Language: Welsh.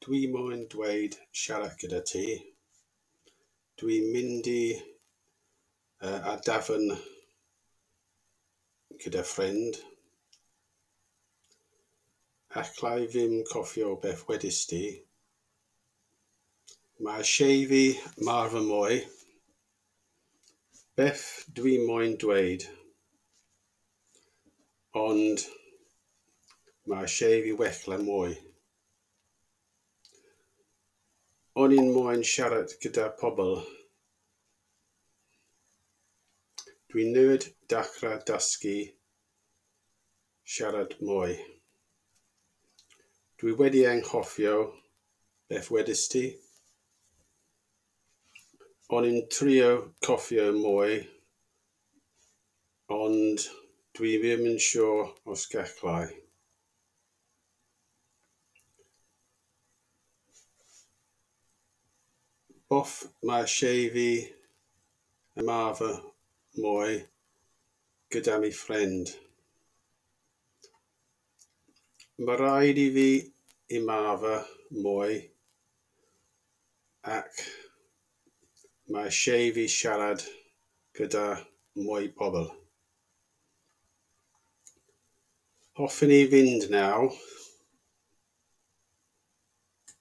Dwi moyn dweud siarad gyda ti. Dwi'n mynd i a dafarn gyda ffrind. Alla i ddim cofio beth wedest ti. Mae eisiau fi marfer mwy. Beth dwi moyn dweud? Ond mae eisiau fi wella mwy. O'n i'n moyn siarad gyda pobl. Dwi newydd dechrau dysgu siarad mwy. Dwi wedi anghofio beth wedest ti. O'n i'n trio cofio mwy, ond dwi ddim yn siŵr os gallai. Boff mae eisiau fi ymarfer mwy gyda mi ffrind. Mae rhaid i fi ymarfer mwy ac mae eisiau fi siarad gyda mwy pobl. Hoffwn i fynd nawr.